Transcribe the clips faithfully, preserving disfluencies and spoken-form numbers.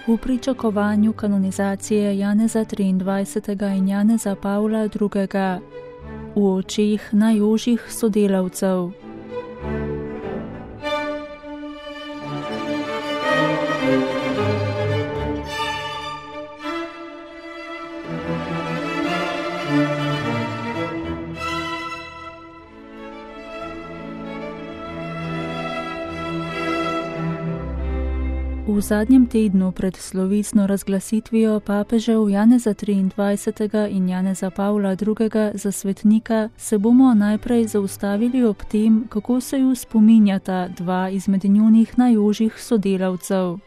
V pričakovanju kanonizacije Janeza triindvajsetega in Janeza Pavla drugega, v očeh najožjih sodelavcev. V zadnjem tednu pred slovesno razglasitvijo papežev Janeza triindvajsetega in Janeza Pavla drugega za svetnika se bomo najprej zaustavili ob tem, kako se ju spominjata dva izmed njunih najožjih sodelavcev.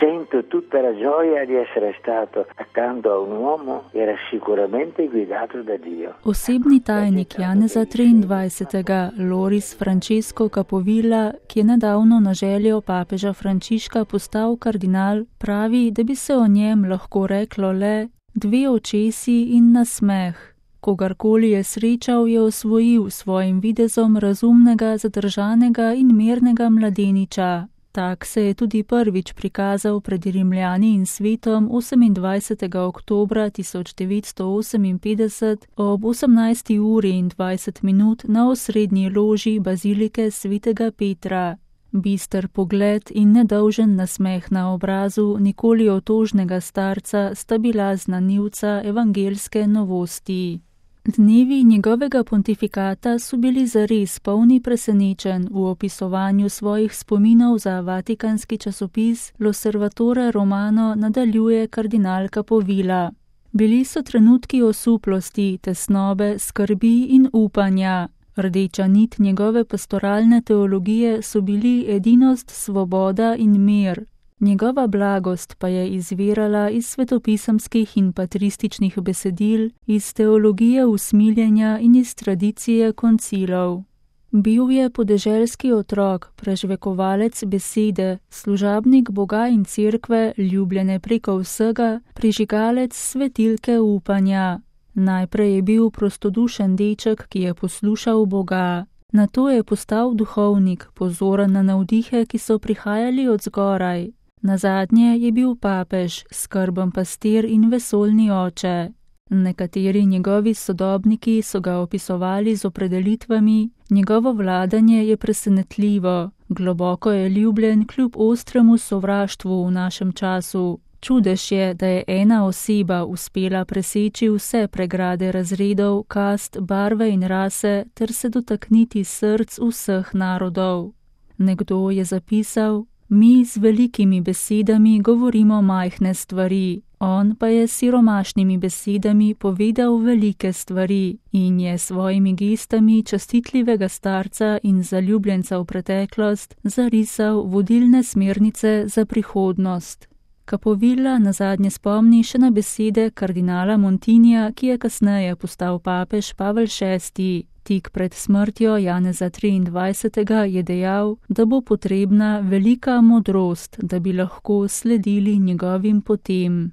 Sento tutta la gioia di essere stato accanto a un uomo che era sicuramente guidato da Dio. Osebni tajnik Janeza triindvajsetega, Loris Francesco Capovilla, ki je nedavno na željo papeža Frančiška postal kardinal, pravi, da bi se o njem lahko reklo le dve očesi in nasmeh. Kogarkoli je srečal, je osvojil svojim videzom razumnega, zadržanega in mirnega mladeniča. Tak se je tudi prvič prikazal pred Rimljani in svetom osemindvajsetega oktobra tisoč devetsto oseminpetdeset ob osemnajsti uri in dvajset minut na osrednji loži bazilike svetega Petra. Bister pogled in nedolžen nasmeh na obrazu nikoli otožnega starca sta bila znanilca evangelske novosti. Dnevi njegovega pontifikata so bili zares polni presenečenj v opisovanju svojih spominov za vatikanski časopis L'Osservatore Romano nadaljuje kardinal Capovilla. Bili so trenutki osuplosti, tesnobe, skrbi in upanja. Rdeča nit njegove pastoralne teologije so bili edinost, svoboda in mir. Njegova blagost pa je izvirala iz svetopisemskih in patrističnih besedil, iz teologije usmiljenja in iz tradicije koncilov. Bil je podeželski otrok, prežvekovalec besede, služabnik Boga in cerkve, ljubljene preko vsega, prižigalec svetilke upanja. Najprej je bil prostodušen deček, ki je poslušal Boga. Nato je postal duhovnik, pozoren na navdihe, ki so prihajali od zgoraj. Nazadnje je bil papež, skrben pastir in vesoljni oče. Nekateri njegovi sodobniki so ga opisovali z opredelitvami, njegovo vladanje je presenetljivo, globoko je ljubljen kljub ostremu sovraštvu v našem času. Čudež je, da je ena oseba uspela preseči vse pregrade razredov, kast, barve in rase ter se dotakniti src vseh narodov. Nekdo je zapisal: mi z velikimi besedami govorimo majhne stvari, on pa je s siromašnimi besedami povedal velike stvari in je svojimi gestami častitljivega starca in zaljubljenca v preteklost zarisal vodilne smernice za prihodnost. Capovilla nazadnje spomni še na besede kardinala Montinija, ki je kasneje postal papež Pavel šesti. Tik pred smrtjo Janeza triindvajsetega je dejal, da bo potrebna velika modrost, da bi lahko sledili njegovim potem.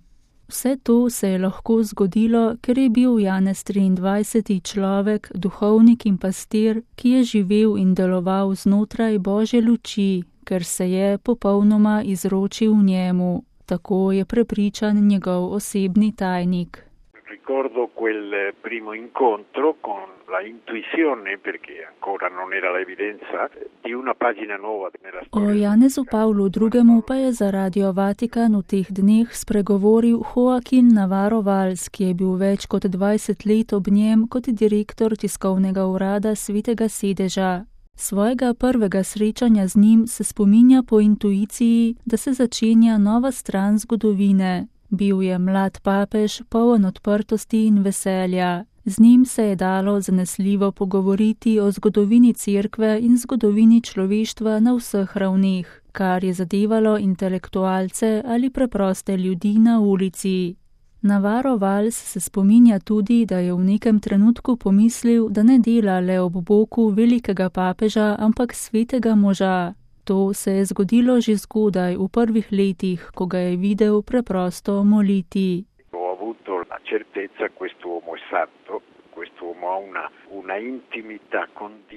Vse to se je lahko zgodilo, ker je bil Janez triindvajseti človek, duhovnik in pastir, ki je živel in deloval znotraj Božje luči, ker se je popolnoma izročil njemu. Tako je prepričan njegov osebni tajnik. Ricordo quel primo incontro con la intuizione, perché ancora non era l'evidenza, di una pagina nuova nella storia. O Janezu Pavlu drugemu pa je za Radio Vatikan v teh dneh spregovoril Joaquin Navarro Valls, ki je bil več kot dvajset let ob njem kot direktor tiskovnega urada Svetega sedeža. Svojega prvega srečanja z njim se spominja po intuiciji, da se začenja nova stran zgodovine. Bil je mlad papež, poln odprtosti in veselja. Z njim se je dalo zanesljivo pogovoriti o zgodovini cerkve in zgodovini človeštva na vseh ravneh, kar je zadevalo intelektualce ali preproste ljudi na ulici. Navarro Valls se spominja tudi, da je v nekem trenutku pomislil, da ne dela le ob boku velikega papeža, ampak svetega moža. To se je zgodilo že zgodaj v prvih letih, ko ga je videl preprosto moliti.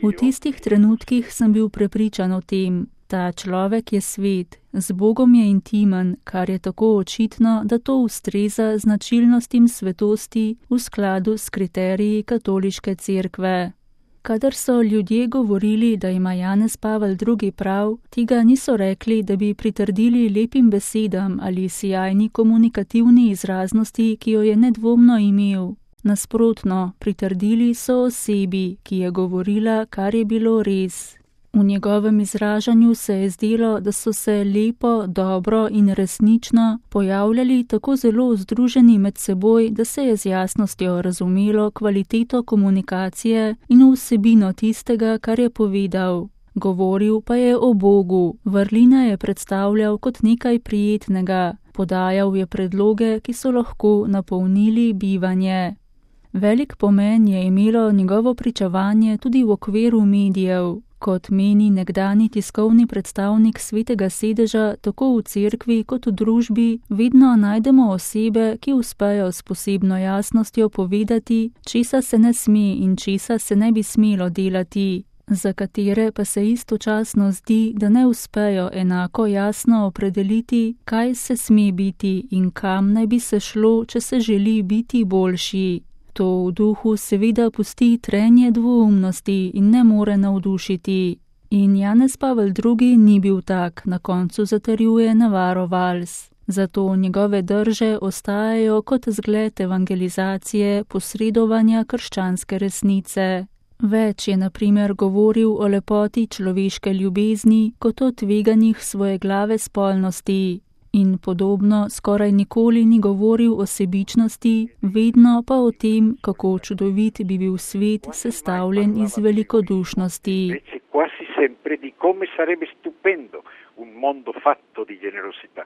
V tistih trenutkih sem bil prepričan o tem. Ta človek je svet, z Bogom je intimen, kar je tako očitno, da to ustreza značilnostim svetosti v skladu s kriteriji katoliške cerkve. Kadar so ljudje govorili, da ima Janez Pavel drugi prav, tega niso rekli, da bi pritrdili lepim besedam ali sijajni komunikativni izraznosti, ki jo je nedvomno imel. Nasprotno, pritrdili so osebi, ki je govorila, kar je bilo res. V njegovem izražanju se je zdelo, da so se lepo, dobro in resnično pojavljali tako zelo združeni med seboj, da se je z jasnostjo razumelo kvaliteto komunikacije in vsebino tistega, kar je povedal. Govoril pa je o Bogu, vrline je predstavljal kot nekaj prijetnega, podajal je predloge, ki so lahko napolnili bivanje. Velik pomen je imelo njegovo pričevanje tudi v okviru medijev. Kot meni nekdani tiskovni predstavnik Svetega sedeža, tako v cerkvi kot v družbi, vedno najdemo osebe, ki uspejo s posebno jasnostjo povedati, česa se ne sme in česa se ne bi smelo delati, za katere pa se istočasno zdi, da ne uspejo enako jasno opredeliti, kaj se sme biti in kam naj bi se šlo, če se želi biti boljši. To v duhu seveda pusti trenje dvoumnosti in ne more navdušiti. In Janez Pavel drugi ni bil tak, na koncu zatrjuje Navarro Valls. Zato njegove drže ostajajo kot zgled evangelizacije, posredovanja krščanske resnice. Več je na primer govoril o lepoti človeške ljubezni kot o tveganjih svoje glave spolnosti. In podobno skoraj nikoli ni govoril o sebičnosti, vedno pa o tem, kako čudovit bi bil svet sestavljen iz velikodušnosti. Quasi sempre di come sarebbe stupendo un mondo fatto di generosità.